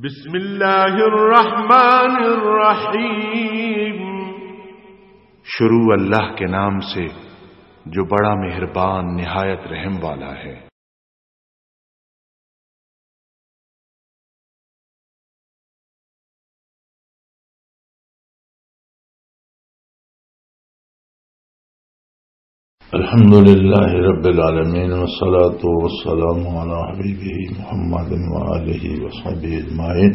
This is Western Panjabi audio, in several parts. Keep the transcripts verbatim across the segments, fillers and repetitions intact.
بسم اللہ الرحمن الرحیم۔ شروع اللہ کے نام سے جو بڑا مہربان نہایت رحم والا ہے۔ الحمد لله رب العالمين، والصلاة والسلام على حبيبه محمد وآله وصحبه أجمعين.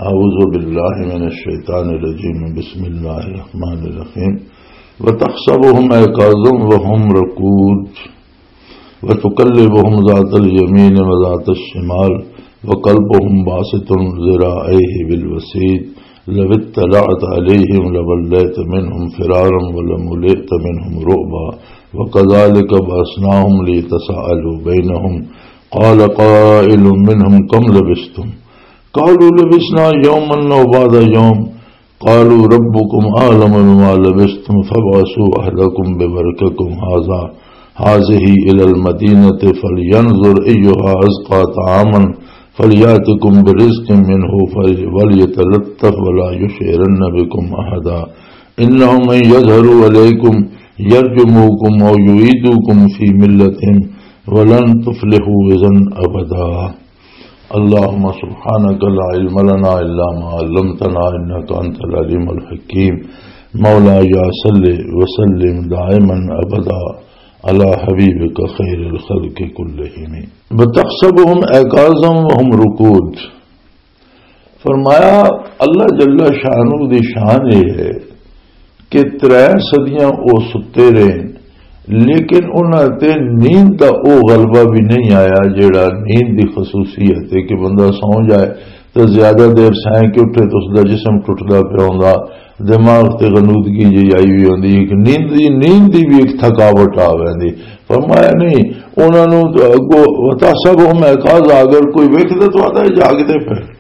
أعوذ بالله من الشيطان الرجيم. بسم الله الرحمن الرحيم. وتحسبهم أيقاظا وهم رقود، وتقلبهم ذات اليمين وذات الشمال، وكلبهم باسط ذراعيه بالوصيد، لو اطلعت عليهم لوليت منهم فرارا ولملئت منهم رعبا، وكذلك بعثناهم ليتساءلوا بينهم، قال قائل منهم كم لبثتم؟ قالوا لبثنا يوما أو بعض يوم، قالوا ربكم أعلم بما لبثتم فابعثوا أحدكم بورقكم هذا، هذه إلى المدينة فلينظر أيها أزكى طعاما فليأتكم برزق منه فل-، وليتلطف ولا يشعرن بكم أحدا، إنهم إن يظهروا عليكم يرجموكم أو يعيدوكم في ملتهم ولن تفلحوا إذا أبدا. اللهم سبحانك لا علم لنا إلا ما علمتنا إنك أنت العليم الحكيم. مولاي صل وسلم دائما أبدا على حبيبك خير الخلق كلهم. وتحسبهم أيقاظا وهم رقود. فرمایا، اللہ جل شانہ دی شان یہ ہے کہ ترے صدیاں او ستے رہے، لیکن انہاں تے نیند دا او غلبہ بھی نہیں آیا جیڑا نیند دی خصوصیت ہے کہ بندہ سو جائے تے زیادہ دیر سائیں کہ اٹھے تو اس دا جسم ٹوٹدا پیا ہوندا، دماغ تے غنودگی جی آئی ہوئی ہوندی، ایک نیند دی، نیند دی بھی ایک تھکاوٹ آ ویندی۔ فرمایا نہیں، انہاں نوں تے اگوں وتحسبهم أيقاظا، اگر کوئی ویکھدا تو آتا ہے جاگدے پے۔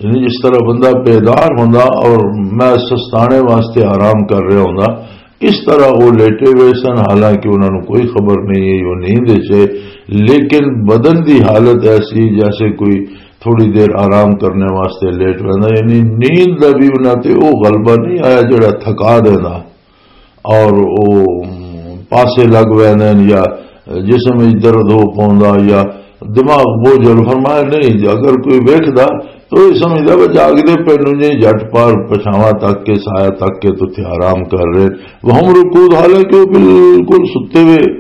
یعنی جس طرح بندہ بیدار ہوندا اور میں سستانے واسطے آرام کر رہا ہوندا، اس طرح وہ لیٹے ہوئے سن، حالانکہ انہاں نوں کوئی خبر نہیں ہے، وہ نیند وچ ہے، لیکن بدن دی حالت ایسی جیسے کوئی تھوڑی دیر آرام کرنے واسطے لیٹ رہندا، یعنی نیند دا بھی انہاں تے وہ غلبہ نہیں آیا جڑا تھکا دیندا۔ اور او پاسے لگ ویندے نے یا جسم وچ درد ہو پوندا یا دماغ بوجھل۔ فرمایا نہیں، اگر کوئی ویکھدا تو یہ سمجھدا وہ جاگدے پے نوں جی، جٹ پار پچھاواں تک کے سایہ تک کے تو تھے آرام کر رہے۔ وهم رقود، حالانکہ وہ بالکل ستے ہوئے۔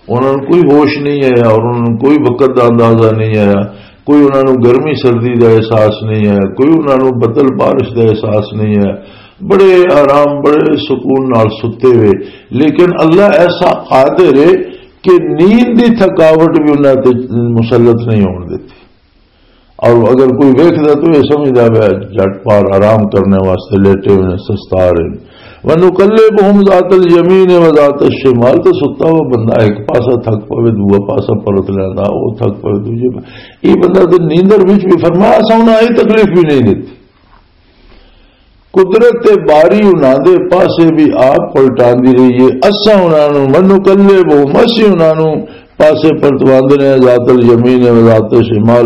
انہاں نوں کوئی ہوش نہیں آیا اور انہاں نوں کوئی وقت دا اندازہ نہیں آیا، کوئی انہاں نوں گرمی سردی دا احساس نہیں آیا، کوئی انہاں نوں بدل بارش دا احساس نہیں آیا۔ بڑے آرام، بڑے سکون نال ستے ہوئے۔ لیکن اللہ ایسا قادر ہے کہ نیند دی تھکاوٹ بھی انہاں تے مسلط نہیں ہون دتی۔ اور اگر کوئی ویکھدا تو یہ سمجھدا پیا جٹ پار آرام کرنے واسطے لیٹے ہوئے نے، سستا رہے نے۔ وَنُقَلِّبُهُمْ ذَاتَ الْيَمِينِ وَذَاتَ الشِّمَالِ، تے ستا ہوا بندہ ایک پاسا تھک پوے، دوجا پاسا پلٹ لیندا، او تھک پوے، دوجے پا-، یہ بندہ تے نیندر وچ بھی، فرمایا، اساں انہاں اے تکلیف بھی نہیں دتی۔ قدرت باری انہاں دے پاسے بھی آپ پلٹاندی رہی ہے۔ اساں انہاں نوں، وَنُقَلِّبُهُمْ، اسی انہاں نوں پاسے پلٹواندے نے، ذات الیمین و ذات شمال،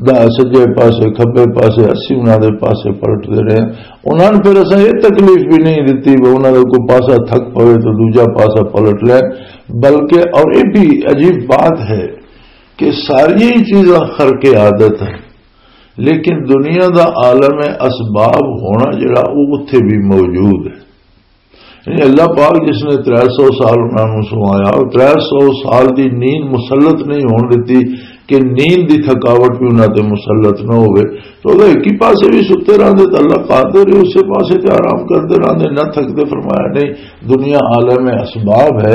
دا سجے پاسے، کھبے پاسے، اسی انہاں دے پاسے پلٹدے رہے۔ انہاں نوں پھر اساں یہ تکلیف بھی نہیں دتی وہ انہاں دا کوئی پاسا تھک پوے تو دوجا پاسا پلٹ لے۔ بلکہ، اور یہ بھی عجیب بات ہے کہ ساری چیزاں خرق عادت ہیں، لیکن دنیا دا عالم اسباب ہونا جڑا، وہ اتھے بھی موجود ہے۔ یعنی اللہ پاک جس نے ترے سو سال انہاں نوں سوایا، اور ترے سو سال دی نیند مسلط نہیں ہون دتی کہ نیند دی تھکاوٹ بھی انہاں تے مسلط نہ ہوئے، تو اگر ایک ہی پاسے بھی ستے رہندے تو اللہ قادر ہے، اسے پاسے تے آرام کردے رہندے، نہ تھکدے۔ فرمایا نہیں، دنیا عالم اسباب ہے،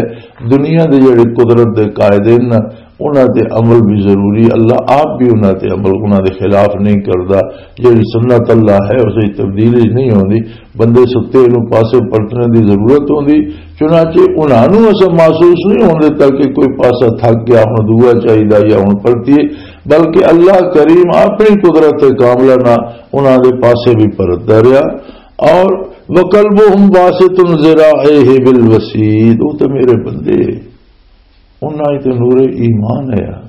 دنیا دے جڑے قدرت دے قائدین نا، انہاں تے عمل بھی ضروری، اللہ آپ بھی انہاں تے عمل، انہاں دے خلاف نہیں کردا۔ جڑی سنت اللہ ہے، اس وچ تبدیلی نہیں ہوندی۔ بندے ستے نوں پاسے پلٹنے دی ضرورت ہوندی، چنانچہ انہاں نوں اساں محسوس نہیں ہون دتا کہ کوئی پاسا تھک گیا، ہن دعا چاہیدا یا ہن پلٹیے، بلکہ اللہ کریم اپنی قدرت کاملہ نال انہاں دے پاسے بھی پلٹدا رہیا۔ اور وَقَلْبُهُمْ بَاسِطٌ ذِرَاعَيْهِ بِالْوَصِيدِ، وہ تو میرے بندے، انہاں وچ تے نور ایمان ہے۔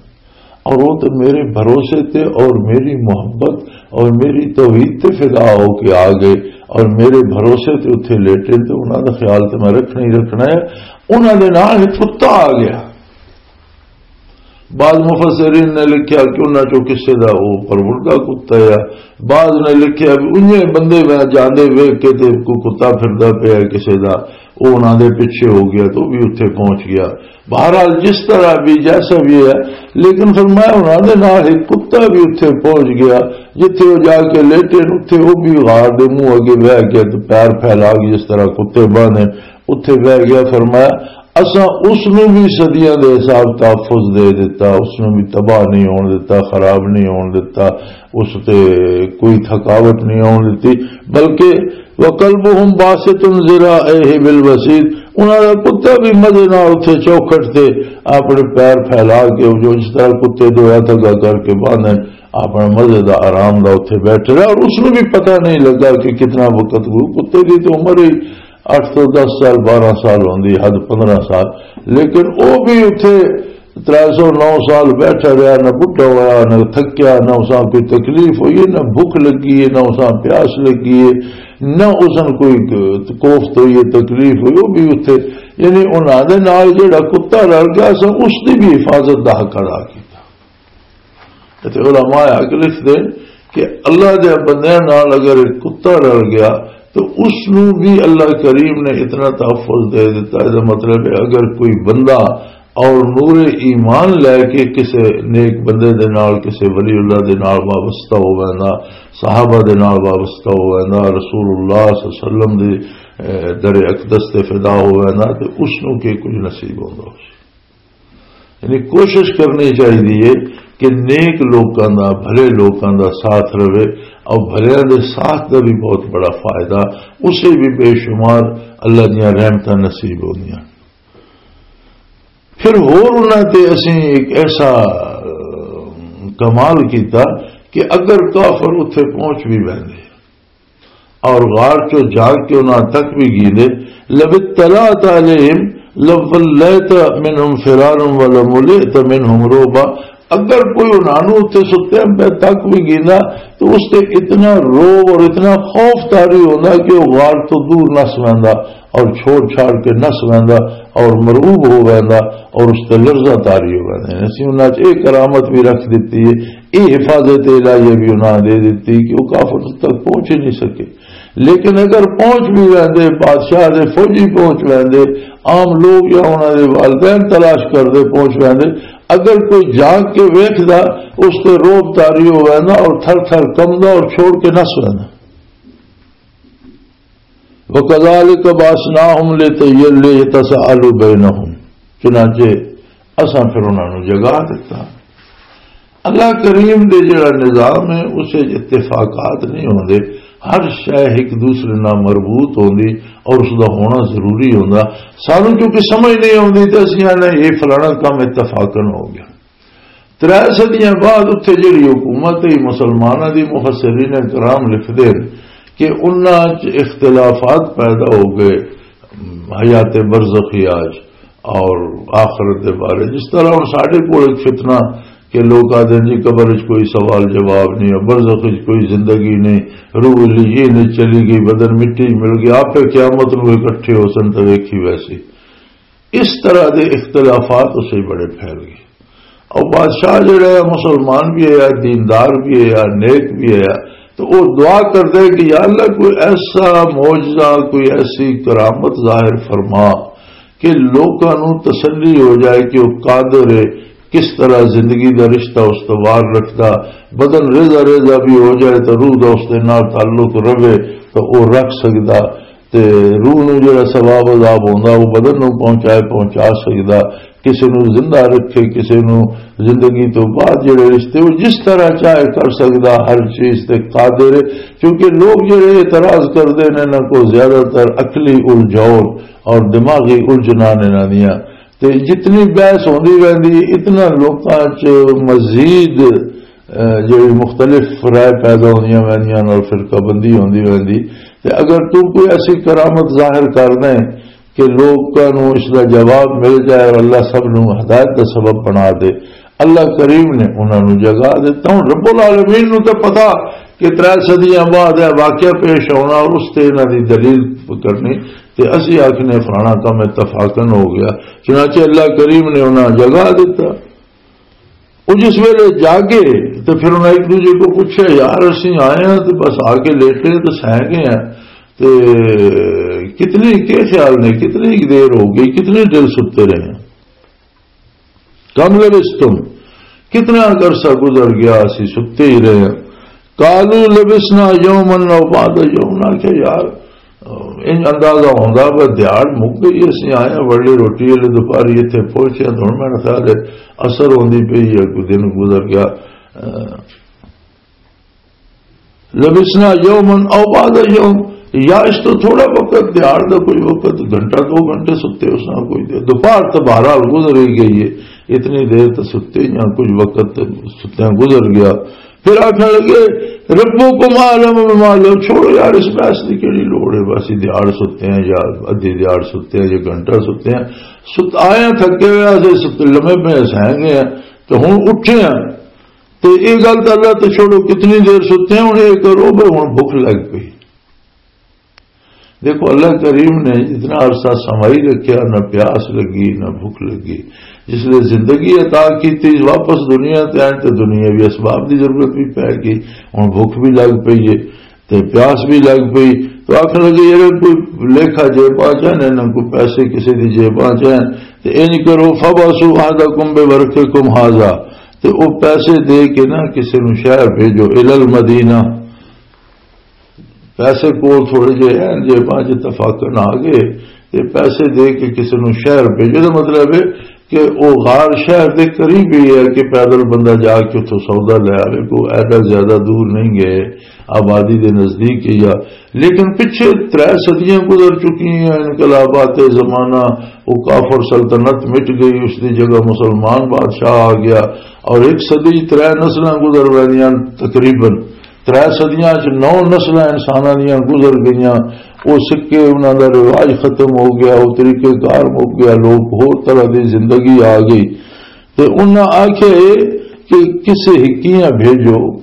اور وہ تو میرے بھروسے تے اور میری محبت اور میری توحید تے فدا ہو کے آ گئے، اور میرے بھروسے تے اتھے لیٹے، تے انہاں دا خیال تے میں رکھنا ہی رکھنا ہے۔ انہاں دے نال ایک کتا آ گیا۔ بعض مفسرین نے لکھیا کہ انہاں چوں کسے دا وہ پروردا کتا ہے، بعض نے لکھیا بھی انہیں بندے میں جاندے ویکھ کے تے کوئی کتا پھردا پیا ہے کسے دا، وہ انہاں دے پیچھے ہو گیا تو وہ بھی اتھے پہنچ گیا۔ بہرحال جس طرح بھی جیسا بھی ہے، لیکن فرمایا انہاں دے نال ایک کتا بھی اتھے پہنچ گیا، جتھے وہ جا کے لیٹے اتھے وہ بھی غار دے منہ اگے بہ گیا تے پیر پھیلا کے جس طرح کتے باندھے اتھے بہ گیا۔ فرمایا اساں اس نوں بھی صدیاں دے حساب تحفظ دے دتا، اس نوں بھی تباہ نہیں ہون دتا، خراب نہیں ہون دتا، اس تے کوئی تھکاوٹ نہیں ہون دتی، بلکہ وَكَلْبُهُمْ بَاسِطٌ ذِرَاعَيْهِ بِالْوَصِيدِ، انہاں دا کتا بھی مزے نال اتھے چوکھٹ تے اپنے پیر پھیلا کے، جو جس طرح کتے دو ہتھ اگا کر کے باندھے، اپنے مزے دا آرام دا اتھے بیٹھے رہا، اور اس نوں بھی پتہ نہیں لگا کہ کتنا وقت گو۔ کتے دی تو عمر ہی اٹھ تو دس سال، بارہ سال ہوندی، حد پندرہ سال، لیکن او بھی اتھے ترے سو نو سال بیٹھا رہا، نہ بڈھا ہویا، نہ تھکیا، نہ اساں کوئی تکلیف ہوئی ہے، نہ بھوک لگی ہے، نہ اساں پیاس لگی ہے، نہ اساں کوئی کوفت ہوئی ہے، تکلیف ہوئی، وہ بھی اتھے، یعنی انہاں دے نال جڑا کتا رل گیا، اساں اس دی بھی حفاظت دا حق ادا کیتا۔ تے علماء حق لکھ دے کہ اللہ دے بندیاں نال اگر ایک کتا رل گیا تو اس نو بھی اللہ کریم نے اتنا تحفظ دے دیتا ہے۔ اس دا مطلب ہے اگر کوئی بندہ اور نور ایمان لے کے کسے نیک بندے دے نال، کسے ولی اللہ دے نال وابستہ ہو ویندا، صحابہ دے نال وابستہ ہو ویندا، رسول اللہ صلی اللہ علیہ وسلم دے، اے، در اقدس تے فدا ہو ویندا، تے اس نو کے کچھ نصیب ہوندا ہو۔ یعنی کوشش کرنی چاہیے کہ نیک لوکاں دا، بھلے لوکاں دا ساتھ رہے، اور بھلیاں دے ساتھ دا بھی بہت بڑا فائدہ، اسے بھی بے شمار اللہ دیاں رحمتاں نصیب ہوندیاں۔ پھر ہور انہاں تے اسیں ایک ایسا، اہ، کمال کیتا کہ اگر کافر اتھے پہنچ بھی ویندے اور غار چوں جاگ کے انہاں تک بھی گیندے، لَوِ اطَّلَعْتَ عَلَيْهِمْ لَوَلَّيْتَ مِنْهُمْ فِرَارًا وَلَمُلِئْتَ مِنْهُمْ رُعْبًا۔ اگر کوئی انہاں نوں اتھے ستے پے تک بھی گیندا تو اس تے اتنا روب اور اتنا خوف طاری ہوندا کہ وہ غار تو دور نس ویندا اور چھوڑ چھاڑ کے نس ویندا اور مرعوب ہو ویندا اور اس تے لرزہ طاری ہو ویندا۔ اسی انہاں چ ایک کرامت بھی رکھ دتی ہے، یہ حفاظت الہیہ بھی انہاں دے دتی کہ وہ کافر تک پہنچ ہی نہیں سکے۔ لیکن اگر پہنچ بھی ویندے، بادشاہ دے فوجی پہنچ ویندے، عام لوگ یا انہاں دے والدین تلاش کردے پہنچ ویندے، اگر کوئی جاگ کے ویکھدا، اس تے روب طاری ہو ویندا اور تھر تھر کمدا اور چھوڑ کے نس ویندا۔ وَكَذَلِكَ بَعَثْنَاهُمْ لِيَتَسَاءَلُوا بَيْنَهُمْ۔ چنانچہ اساں پھر انہاں نوں جگا دتا۔ اللہ کریم دے جڑا نظام ہے، اس وچ اتفاقات نہیں ہوندے، ہر شے ایک دوسرے نال مربوط ہوندی اور اس دا ہونا ضروری ہوندا۔ سانوں کیونکہ سمجھ نہیں آوندی تے اسیں آنے یہ فلانا کام اتفاقاً ہو گیا۔ ترے صدیاں بعد اتھے جڑی حکومت ہے مسلماناں دی، مفسرین کرام لکھدے نے کہ انہاں چ اختلافات پیدا ہو گئے حیات برزخیہ چ اور آخرت دے بارے۔ جس طرح ہن ساڈے کول ایک فتنہ کہ لوگ آدھے جی قبر وچ کوئی سوال جواب نہیں ہے، برزخ وچ کوئی زندگی نہیں، روح علیین وچ چلی گئی، بدن مٹی وچ مل گیا، آپے قیامت نو اکٹھے ہو سن تے ویکھی ویسی۔ اس طرح دے اختلافات اسے بڑے پھیل گئے۔ اور بادشاہ جڑا ہے مسلمان بھی ہے، دیندار بھی ہے، نیک بھی ہے، تو وہ دعا کرتے کہ یا اللہ کوئی ایسا معجزہ، کوئی ایسی کرامت ظاہر فرما کہ لوکاں نوں تسلی ہو جائے کہ وہ قادر ہے، کس طرح زندگی دا رشتہ استوار رکھدا، بدن ریزہ ریزہ بھی ہو جائے تو روح دا اس دے نال تعلق رہے تو وہ رکھ سکدا۔ تے روح نوں جڑا ثواب عذاب ہوندا، وہ بدن نوں پہنچائے، پہنچا سکدا۔ کسے نوں زندہ رکھے، کسے نوں زندگی تو بعد جڑے رشتے، وہ جس طرح چاہے کر سکدا، ہر چیز تے قادر ہے۔ کیونکہ لوگ جڑے اعتراض کردے نے، انہاں کو زیادہ تر عقلی الجھاؤ اور دماغی الجھناں نے انہاں دیاں۔ تے جتنی بحث ہوندی رہندی، اتنا لوکاں چ مزید، اے، جڑی مختلف رائے پیدا ہوندیاں ویندیاں اور فرقہ بندی ہوندی ویندی۔ تے اگر تو کوئی ایسی کرامت ظاہر کر دیں کہ لوکاں نوں اس دا جواب مل جائے اور اللہ سب نوں ہدایت دا سبب بنا دے، اللہ کریم نے انہاں نوں جگا دتا۔ ہن رب العالمین نوں تے پتا کہ ترے صدیاں بعد یہ واقعہ پیش آنا اور اس تے انہاں دی دلیل کرنی، تے اسی آکھنے فلانا کم اتفاقاً ہو گیا۔ چنانچہ اللہ کریم نے انہاں جگا دتا۔ وہ جس ویلے جاگے تے پھر انہاں ایک دوجے کو پوچھا، "یار، اسی آئے ہاں تے بس آ کے لیٹے تے سہ گئے ہیں، تے کتنی، کے خیال نے، کتنی دیر ہو گئی، کتنی دیر ستے رہے ہیں؟" کم لبثتم، کتنا عرصہ گزر گیا، اسی ستے ہی رہے ہیں۔ قالوا لبثنا یوما او بعض یوم، نہ کہ یار، ان اندازہ ہوندا، بس دیہاڑ مک گئی، اسی آئے ہیں، وڑے روٹی والے دوپہری اتھے پہنچے ہیں، تو ہن میرا خیال ہے اثر ہوندی پئی ہے، کوئی دن گزر گیا۔ لبثنا یوما او بعض یوم، یا اس تو تھوڑا وقت، دیہاڑ دا کوئی وقت، گھنٹہ دو گھنٹے ستے، اس نال کوئی دیر۔ دوپہر تو بہرحال گزر ہی گئی ہے، اتنی دیر تو ستے ہی ہیں، کچھ وقت ستیاں گزر گیا۔ پھر آکھن لگے، "ربکم اعلم بما لو"، چھوڑو یار، اس بحث دی کیڑی لوڑ ہے، بس دیہاڑ ستے ہیں یا ادھی دیہاڑ ستے ہیں یا گھنٹہ ستے ہیں، ست-، آئے ہیں تھکے ہوئے، اسے ست-، لمے پے سہ گئے ہیں، تو ہن اٹھے ہیں۔ تے اے گل تاں اللہ تے چھوڑو، کتنی دیر ستے ہیں، ہن اے کرو، بھئی ہن بھوک لگ پئی۔ دیکھو، اللہ کریم نے جتنا عرصہ سمائی رکھیا، نہ پیاس لگی، نہ بھوک لگی۔ جس نے زندگی عطا کی تھی، واپس دنیا تے آئے تے دنیاوی اسباب دی ضرورت بھی پے گئی، ہن بھوک بھی لگ پئی ہے۔ تے پیاس بھی لگ پئی۔ تو آکھن لگے، "یار، کوئی لیکھا جیباں چ ہیں، نہ کوئی پیسے کسی دی جیباں چ ہیں، تے انج کرو، فبعثوا احدکم بورقکم ھذا"، تے او پیسے دے کے نا کسی نو شہر بھیجو، الی المدینہ۔ پیسے کول تھوڑے جے ہیں، جیباں چ اتفاقاً آ گئے، تے پیسے دے کے کسی نو شہر بھیجو۔ دا مطلب ہے کہ او غار شہر دے قریب ہی ہے کہ پیدل بندہ جا کے اتھوں سودا لے آوے، کوئی ایڈا زیادہ دور نہیں گئے، آبادی دے نزدیک ہی آ۔ لیکن پچھے ترے صدیاں گزر چکی ہیں، انقلابات زمانہ، وہ کافر سلطنت مٹ گئی، اس دی جگہ مسلمان بادشاہ آ گیا، اور ایک صدی ترے نسلاں گزر ویندیاں تقریباً۔ ترے صدیاں چ نو نسلاں انساناں دیاں گزر گئیاں۔ او سکے، انہاں دا رواج ختم ہو گیا، او طریقہ کار مک گیا، لوگ ہور طرح دی زندگی آ گئی۔ تے انہاں آکھیا اے کہ کسے ہکیاں بھیجو۔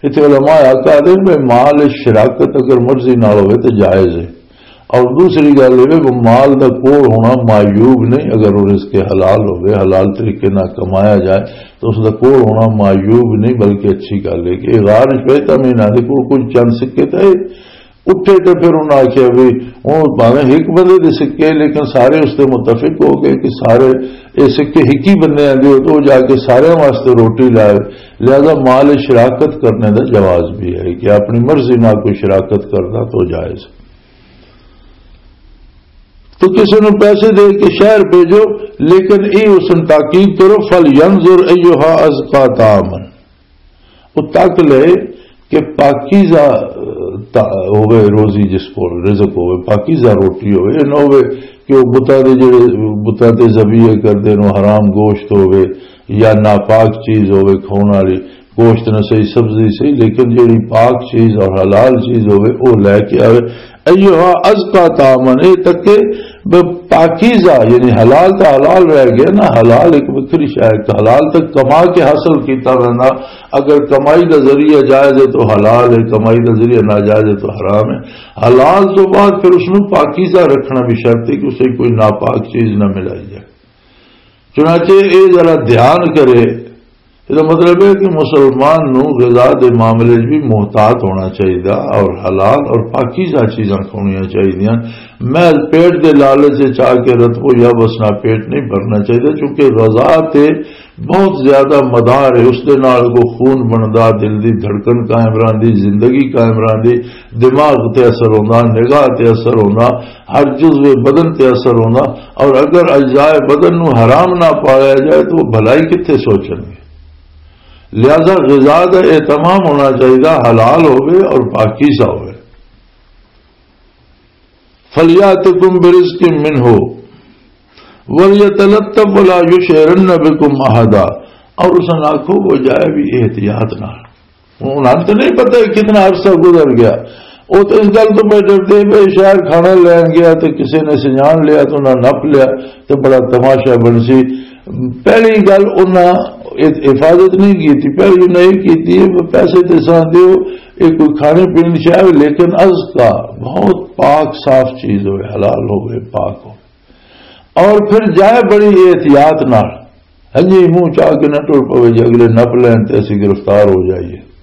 اتھے علماء آکھیا دے بھئی مال شراکت اگر مرضی نال ہوئے تے جائز ہے۔ اور دوسری گل یہ کہ مال دا کول ہونا معیوب نہیں، اگر وہ رزق حلال ہوئے، حلال طریقے نال کمایا جائے تو اس دا کول ہونا معیوب نہیں، بلکہ اچھی گل ہے کہ غار شویتا مہینہ دے کول کچھ چند سکے تھے، اٹھے تے پھر انہاں آکھیا بھی، ہن بھاویں ہک بندے دے سکے، لیکن سارے اس تے متفق ہو گئے کہ سارے اے سکے ہک ہی بندے آندے ہو، تو وہ جا کے سارے واسطے روٹی لائے۔ لہذا مال شراکت کرنے دا جواز بھی ہے کہ اپنی مرضی نال کوئی شراکت کردا تو جائز۔ تو کسی نو پیسے دے کے شہر بھیجو، لیکن اے اس نوں تاکید کرو، فَلْيَنْظُرْ أَيُّهَا أَزْكَىٰ طَعَامًا۔ وہ تک لے کہ پاکیزہ، تا-، ہوئے روزی، جس کو رزق ہوئے، پاکیزہ روٹی ہوئے، یہ نہ ہوئے کہ وہ بتاں دے جڑے، بتاں تے ذبیحے کردے نو حرام گوشت ہوئے یا ناپاک چیز ہوئے کھاؤن والی، گوشت نہ صحیح، سبزی صحیح، لیکن جڑی پاک چیز اور حلال چیز ہوئے، وہ لے کے آوے۔ ایہا ازکا طعاماً، اے تک کہ ب-، پاکیزہ، یعنی حلال تو حلال رہ گیا نا، حلال ایک وکری شے ہے، حلال تک کما کے حاصل کیتا ویندا۔ اگر کمائی دا ذریعہ جائز ہے تو حلال ہے، کمائی دا ذریعہ ناجائز ہے تو حرام ہے۔ حلال تو بعد پھر اس نوں پاکیزہ رکھنا بھی شرط ہے کہ اسے کوئی ناپاک چیز نہ ملائی جائے۔ چنانچہ اے ذرا دھیان کرے، اس دا مطلب ہے کہ مسلمان نوں غذا دے معاملے وچ بھی محتاط ہونا چاہیدا اور حلال اور پاکیزہ چیزاں کھاؤنیاں چاہیدیاں۔ محض پیٹ دے لالچ وچ آ کے رتبو یا بسنا پیٹ نہیں بھرنا چاہیدا، چونکہ غذا تے بہت زیادہ مدار ہے، اس دے نال کو خون بندا، دل دی دھڑکن قائم رہندی، زندگی قائم رہندی، دماغ تے اثر ہوندا، نگاہ تے اثر ہوندا، ہر جزو بدن تے اثر ہوندا۔ اور اگر اجزاء بدن نو حرام نہ پایا جائے تو وہ بھلائی کتھے سوچن گے؟ لہذا غذا دا اہتمام ہونا چاہیے، حلال ہوئے اور پاکیزہ ہوئے۔ فَلْيَأْتِكُمْ بِرِزْقٍ مِّنْهُ وَلْيَتَلَطَّفْ وَلَا يُشْعِرَنَّ بِكُمْ أَحَدًا۔ اور اس نے آکھو وہ جائے بھی احتیاط نال۔ انہاں تو نہیں پتہ کہ کتنا عرصہ گزر گیا۔ وہ تو اس گل تو پہ ڈرتے پہ شہر کھانا لین گیا تو کسی نے سجان لیا تو انہاں نپ لیا تو بڑا تماشا بن سی۔ پہلی گل انہاں حفاظت نہیں کی، پہلی انہاں یہ کی، پیسے تے سان دیو، یہ کوئی کھانے پینے شاید، لیکن از کا بہت پاک صاف چیز ہوئے، حلال ہوئے، پاک ہو، اور پھر جائے بڑی احتیاط نال۔ ہاں جی، منہ چاہ کے نہ ٹر پوے جی، اگلے نپ لین تے اسی گرفتار ہو جائیے۔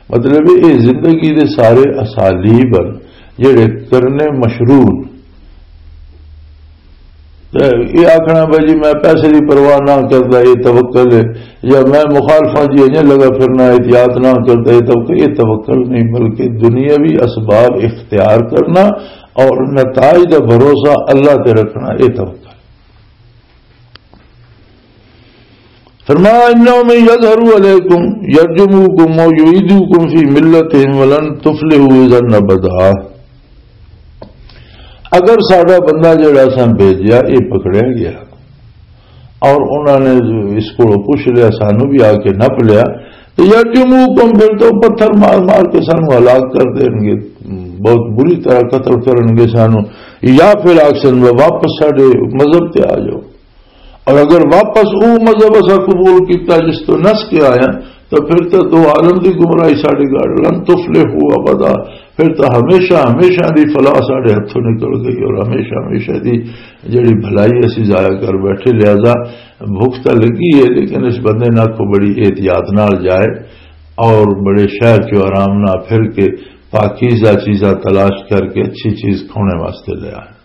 مطلب، یہ زندگی دے سارے اسالیب ہن جڑے کرنے مشروع نے۔ تے یہ آکھنا بھائی جی، میں پیسے دی پرواہ نہ کردا، یہ توکل ہے، یا میں مخالفاں جی اجے لگا پھرنا، احتیاط نہ کردا، یہ توکل، یہ توکل نہیں، بلکہ دنیاوی اسباب اختیار کرنا اور نتائج دا بھروسہ اللہ تے رکھنا، یہ توکل۔ فرمایا، "انہم یظہروا علیکم یرجموکم و یعیدوکم فی ملتہم ولن تفلحوا اذا ابدا۔" اگر ساڈا بندہ جڑا اساں بھیجیا، یہ پکڑیا گیا اور انہوں نے اس کو پوچھ لیا، سانو بھی آ کے نپ لیا، تو یرجموکم، پھر تو پتھر مار مار کے سانو ہلاک کر دیں گے، بہت بری طرح قتل کرن گے سانو، یا پھر آکسن میں واپس ساڈے مذہب تے آ جاؤ۔ اور اگر واپس او مذہب اسا قبول کیتا جس تو نس کے آیا، تو پھر تو دو عالم دی گمراہی ساڈے گھر، لن تفلحوا ابدا، پھر تو ہمیشہ ہمیشہ دی فلاح ساڈے ہتھوں نکل گئی اور ہمیشہ ہمیشہ دی جڑی بھلائی اسی ضائع کر بیٹھے۔ لہذا بھوک تو لگی ہے، لیکن اس بندے نہ کو بڑی احتیاط نال جائے اور بڑے شہر چوں آرام نہ پھر کے پاکیزہ چیزاں تلاش کر کے اچھی چیز کھونے واسطے لے آئے۔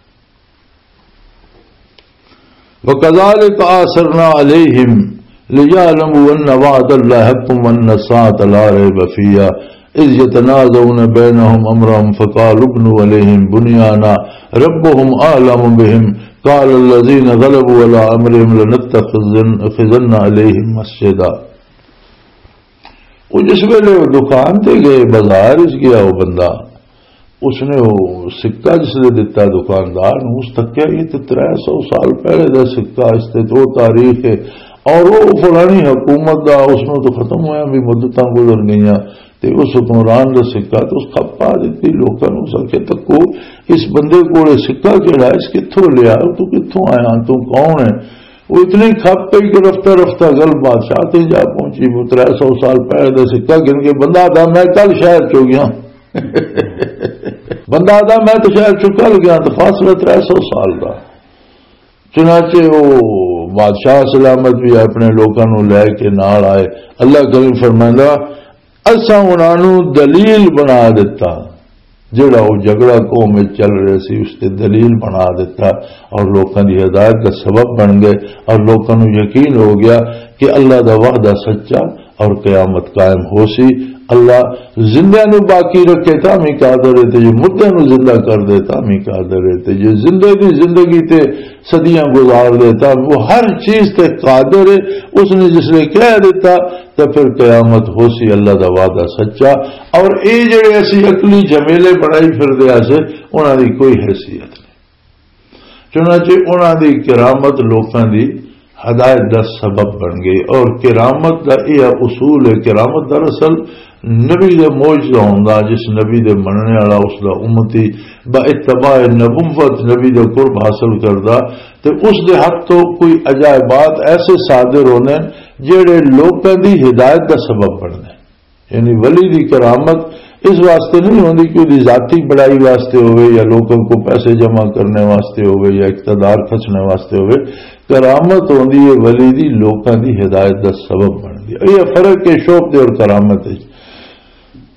وَكَذَلِكَ أَعْثَرْنَا عَلَيْهِمْ لِيَعْلَمُوا أَنَّ وَعْدَ اللَّهِ حَقٌّ وَأَنَّ السَّاعَةَ لَا رَيْبَ فِيهَا إِذْ يَتَنَازَعُونَ بَيْنَهُمْ أَمْرَهُمْ فَقَالُوا ابْنُوا عَلَيْهِمْ بُنْيَانًا رَبُّهُمْ أَعْلَمُ بِهِمْ قَالَا الَّذِينَ غَلَبُوا عَلَىٰ أَمْرِهِمْ لَنَتَّخِذَنَّ عَلَيْهِمْ مَسْجِدًا۔ وہ جس ویلے وہ دکان تے گئے، بازار وچ گیا وہ بندہ، اس نے وہ سکہ جس نے دتا دکاندار نو، اس تکیا یہ تے ترے سو سال پہلے دا سکہ، اس تے تو تاریخ ہے اور وہ فلانی حکومت دا، اس نو تو ختم ہویا بھی مدتاں گزر گئیاں، تے اس حکمران دا سکہ تے اس کھپ پا دتی لوکاں نو۔ اس آکھیا، "تکو، اس بندے کول سکہ کیڑا ہے؟ اس کتھوں لیا؟ تو کتھوں آیا؟ تو کون ہے؟" وہ اتنی کھپ پئی کہ رفتہ رفتہ گل بادشاہ تے جا پہنچی۔ وہ ترے سو سال پہلے دا سکہ گن کے بندہ آدھا، "میں کل شہر چوں گیا۔" بندہ آدھا، "میں تو شہر چوں کل گیا، تو فاصلہ ترے سو سال دا۔" چنانچہ وہ بادشاہ سلامت بھی اپنے لوکاں نوں لے کے نال آئے۔ اللہ کریم فرمائندا، اساں انہاں نوں دلیل بنا دتا، جڑا وہ جھگڑا قوم وچ چل رہے سی، اس تے دلیل بنا دتا اور لوکاں دی ہدایت دا سبب بن گئے اور لوکاں نوں یقین ہو گیا کہ اللہ دا وعدہ سچا اور قیامت قائم ہو سی۔ اللہ زندہ نوں باقی رکھے تاں بھی قادر ہے، تے جو مردے نوں زندہ کر دے تاں بھی قادر ہے، تے جو زندے دی زندگی تے صدیاں گزار دے تاں وہ ہر چیز تے قادر ہے۔ اس نے جس نے کہہ دیتا، تے پھر قیامت ہو سی، اللہ دا وعدہ سچا۔ اور اے جڑے اسی عقلی جھمیلے بنائی پھر دے آسے، انہاں دی کوئی حیثیت نہیں۔ چنانچہ انہاں دی کرامت لوکاں دی ہدایت دا سبب بن گئی۔ اور کرامت دا یہ اصول ہے، کرامت دراصل نبی دے معجزہ ہوندا، جس نبی دے مننے والا اس دا امتی با اتباع نبوت نبی دے قرب حاصل کردا، تے اس دے ہاتھ تو کوئی عجائبات ایسے صادر ہونے جڑے لوکاں دی ہدایت دا سبب بننے۔ یعنی ولی دی کرامت اس واسطے نہیں ہوندی کہ وہ ذاتی بڑائی واسطے ہوئے یا لوگوں کو پیسے جمع کرنے واسطے ہوئے یا اقتدار کھسنے واسطے ہوئے۔ کرامت ہوندی ہے ولی دی لوکاں دی ہدایت دا سبب بندی۔ یہ فرق ہے شوبدے اور کرامت وچ۔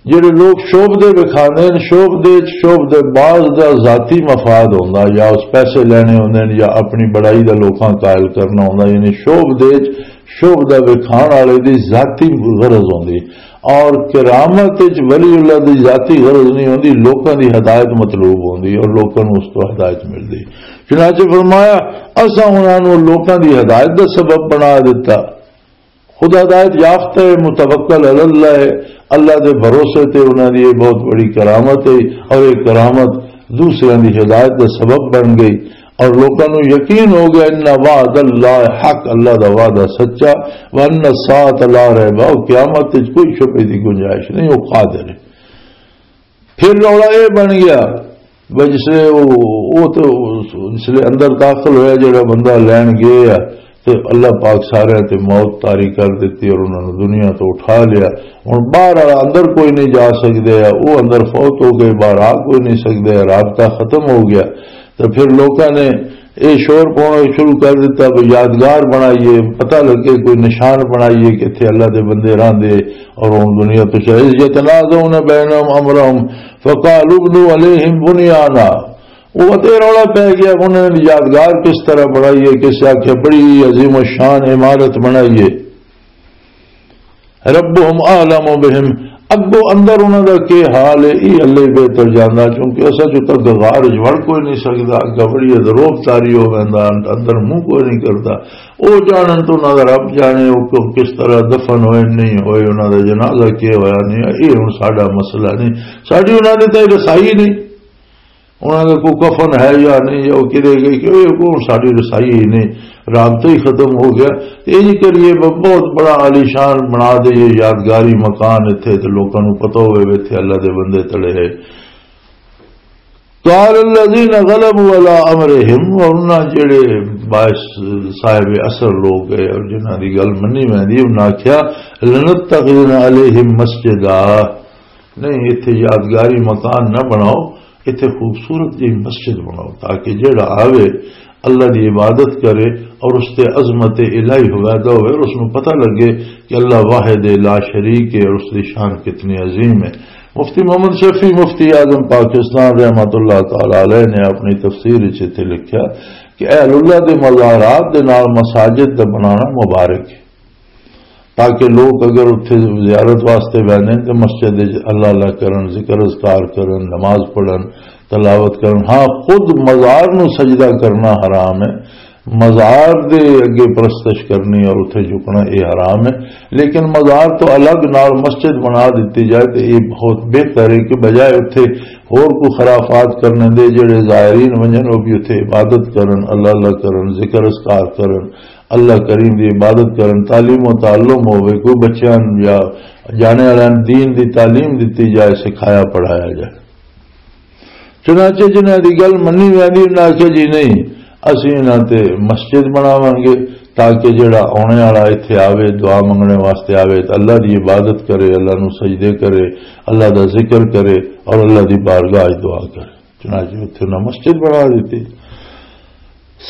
جڑے لوگ شوبدے وکھاندے نے، شوبدے وچ شوبدے باز دا ذاتی مفاد ہوندا، یا اس پیسے لینے ہوندے نے یا اپنی بڑائی دا لوکاں قائل کرنا ہوندا، یعنی شوبدے وچ شوبدہ وکھان والے دی ذاتی غرض ہوندی، اور کرامت وچ ولی اللہ دی ذاتی غرض نہیں ہوندی، لوکاں دی ہدایت مطلوب ہوندی اور لوکاں نوں اس تو ہدایت ملدی۔ چنانچہ فرمایا، اساں انہاں نوں لوکاں دی ہدایت دا سبب بنا دتا۔ خود ہدایت یافتہ ہے، متوکل علی اللہ ہے، اللہ دے بھروسے تے انہاں دی یہ بہت بڑی کرامت ہے، اور یہ کرامت دوسریاں دی ہدایت دا سبب بن گئی۔ اور لوکاں نوں یقین ہو گیا، ان وعد اللہ حق، اللہ دا وعدہ سچا، وان الساعۃ لا ریب، اور قیامت وچ کوئی شبہے دی گنجائش نہیں، وہ قادر ہے۔ پھر رولا یہ بن گیا بھئی جس لے وہ، وہ تو جس لے اندر داخل ہویا جڑا بندہ لین گیا، تے اللہ پاک سارے تے موت طاری کر دتی اور انہاں نوں دنیا تو اٹھا لیا۔ ہن باہر والا اندر کوئی نہیں جا سکدے، او اندر فوت ہو گئے، باہر آ کوئی نہیں سکدے، رابطہ ختم ہو گیا۔ تے پھر لوکاں نے اے شور پاؤنا شروع کر دتا، بھی یادگار بنائیے، پتہ لگے، کوئی نشان بنائیے کہ اتھے اللہ دے بندے راہندے اور ہن دنیا تو چلے۔ اذ یتنازعون بینہم امرہم فقالوا ابنوا علیہم بنیانا۔ وہ تے رولا پی گیا، انہوں نے یادگار کس طرح بنائی ہے، کس آخیا بڑی عظیم و شان عمارت بنائی ہے۔ ربہم اعلم بہم، اگو اندر انہوں دا کی حال ہے، یہ اللہ ہی بہتر جاندا، کیونکہ اسا جو تک غار وچ وڑ کوئی نہیں سکدا، اگا بڑی ادروب تاری ہو ویندا، اندر منہ کوئی نہیں کردا۔ او جانن تو انہوں دا رب جانے، او کو-، کس طرح دفن ہوئے نہیں ہوئے، انہوں دا جنازہ کیا ہویا نہیں، یہ ہن ساڈا مسئلہ نہیں، ساڈی انہوں دے تے رسائی نہیں۔ انہاں دا کوئی کفن ہے یا نہیں، یا وہ کدے گئے، کہ وہ کون ساری رسائی ہی نہیں، رابطہ ہی ختم ہو گیا۔ تے یہ کریے ب-، بہت بڑا عالیشان بنا دے، یہ یادگاری مکان اتھے تے لوکاں نوں پتہ ہوئے وے اتھے اللہ دے بندے تڑے ہے۔ قال الذين غلبوا على امرهم، اور انہاں جڑے باعث صاحب اثر لوگ گئے اور جنہاں دی گل منی ویندی، انہاں آکھیا، "لنتخذن عليهم مسجدا"، نہیں، اتھے یادگاری مکان نہ بناؤ، اتھے خوبصورت جی مسجد بناؤ، تاکہ جیڑا آوے، اللہ دی عبادت کرے اور اس تے عظمت الہی ہویدا ہوئے اور اس نوں پتہ لگے کہ اللہ واحد لا شریک ہے اور اس دی شان کتنی عظیم ہے۔ مفتی محمد شفیع، مفتی اعظم پاکستان، رحمت اللہ تعالی علیہ، نے اپنی تفسیر وچ اتھے لکھیا کہ اہل اللہ دے مزارات دے نال مساجد دا بنانا مبارک ہے، تاکہ لوگ اگر اتھے زیارت واسطے ویندے نے تے مسجد وچ اللہ اللہ کرن، ذکر اذکار کرن، نماز پڑھن، تلاوت کرن۔ ہاں، خود مزار نو سجدہ کرنا حرام ہے، مزار دے اگے پرستش کرنی اور اتھے جھکنا، یہ حرام ہے۔ لیکن مزار تو الگ نال مسجد بنا دیتی جائے تو یہ بہت بہتر ہے کہ بجائے اتھے ہور کوئی خرافات کرنے دے، جڑے زائرین ونجن وہ بھی اتھے عبادت کرن، اللہ اللہ کرن، ذکر اذکار کرن، اللہ کریم دی عبادت کرن، تعلیم و تعلم ہوئے، کوئی بچیاں یا جانے والے دین دی تعلیم دیتی جائے، سکھایا پڑھایا جائے۔ چنانچہ جنہاں دی گل منی ویندی، انہاں آکھیا، "جی نہیں، اسی انہاں تے مسجد بناواں گے، تاکہ جڑا آنے والا اتھے آوے، دعا منگنے واسطے آوے، تے اللہ دی عبادت کرے، اللہ نو سجدے کرے، اللہ دا ذکر کرے اور اللہ دی بارگاہ وچ دعا کرے۔" چنانچہ اتھے انہاں مسجد بنا دیتی۔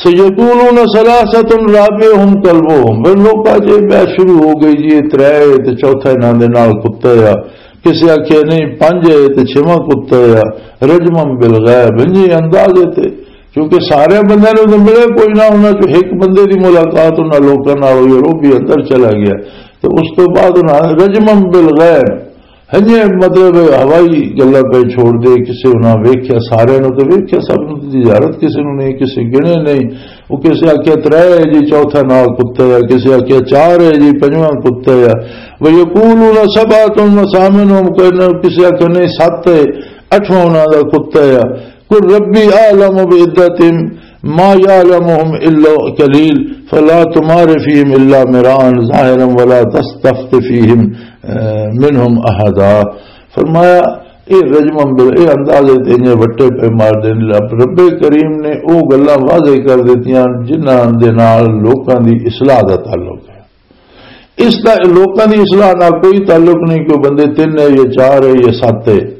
سیقولون ثلاثۃ رابعہم کلبہم، پھر لوکاں 'چ بحث شروع ہو گئی جی، یہ ترے ہے تے چوتھا انہاں دے نال کتا ہے، کسے آکھیا نہیں، پنج ہے تے چھواں کتا ہے، رجما بالغیب، انجی اندازے تے، کیونکہ سارے بندے نوں تے ملے کوئی نہ، انہاں 'چ ایک بندے دی ملاقات انہاں لوکاں نال ہوئی اور وہ بھی اندر چلا گیا۔ تو اس تو بعد انہاں رجما بالغیب، ہنجے مطلب ہوائی گلاں پہ چھوڑ دے، کسے انہاں ویکھیا، سارے نوں تے ویکھیا، سب نوں تے زیارت کسے نوں نہیں، کسے گنے نہیں۔ وہ کسے آکھیا ترے ہے جی، چوتھا نال کتا ہے، کسے آکھیا چار ہے جی، پنجواں کتا ہے۔ وَيَقُولُونَ سَبْعَةٌ وَثَامِنُهُمْ، کہنا کسے آکھیا نہیں، ست ہے، اٹھواں انہاں دا کتا ہے۔ قُل رَّبِّي أَعْلَمُ بِعِدَّتِهِمْ مَا يَعْلَمُهُمْ إِلَّا قَلِيلٌ فَلَا تُمَارِ فِيهِمْ إِلَّا مِرَاءً ظَاهِرًا وَلَا تَسْتَفْتِ فِيهِمْ مِنْهُمْ أَحَدًا۔ فرمایا، اے رجم بل، اے اندازے تے انجے وٹے پہ مار دین۔ رب، رب کریم نے او گلاں واضح کر دتیاں جنہاں دے نال لوکاں دی اصلاح دا تعلق ہے۔ اس دا لوکاں دی اصلاح نال کوئی تعلق نہیں کہ وہ بندے تین ہے یا چار ہے یا ست ہے،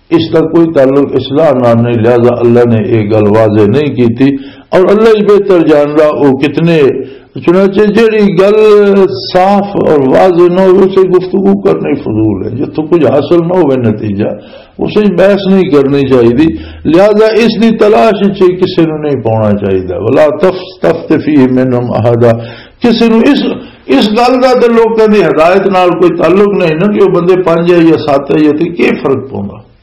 اس دا کوئی تعلق اصلاح نال نہیں، لہذا اللہ نے یہ گل واضح نہیں کیتی۔ اور اللہ ہی بہتر جاندا وہ کتنے۔ چنانچہ جڑی گل صاف اور واضح نہ ہو، اسے گفتگو کرنی فضول ہے۔ جتھوں کچھ حاصل نہ ہوئے نتیجہ، اسے بحث نہیں کرنی چاہیے۔ لہذا اس دی تلاش وچ کسی نوں نہیں پاؤنا چاہیے۔ ولا تف-، تفتفی منہم احدا۔ کسی نوں اس، اس گل دا تے لوکاں دی ہدایت نال کوئی تعلق نہیں نا کہ وہ بندے پنج ہے یا ست ہے یا تے کی فرق پوندا۔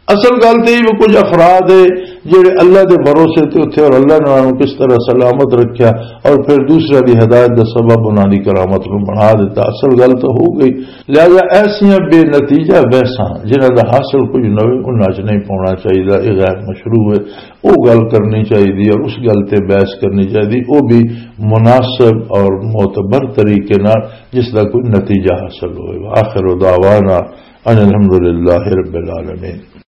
اصل گل تے یہ کچھ افراد ہے جڑے اللہ دے بھروسے تے اتھے اور اللہ نے انہاں نوں کس طرح سلامت رکھیا اور پھر دوسرے دی ہدایت دا سبب انہاں دی کرامت نوں بنا دیتا۔ اصل گل تو ہو گئی۔ لہذا ایسیاں بے نتیجہ بحثاں جنہاں دا حاصل کچھ نہ ہوئے، انہاں چ نہیں پاؤنا چاہیے، یہ غیر مشروع ہے۔ وہ گل کرنی چاہیے اور اس گل تے بحث کرنی چاہیے، وہ بھی مناسب اور معتبر طریقے نال جس دا کوئی نتیجہ حاصل ہوئے۔ وآخر دعوانا ان الحمدللہ رب العالمین۔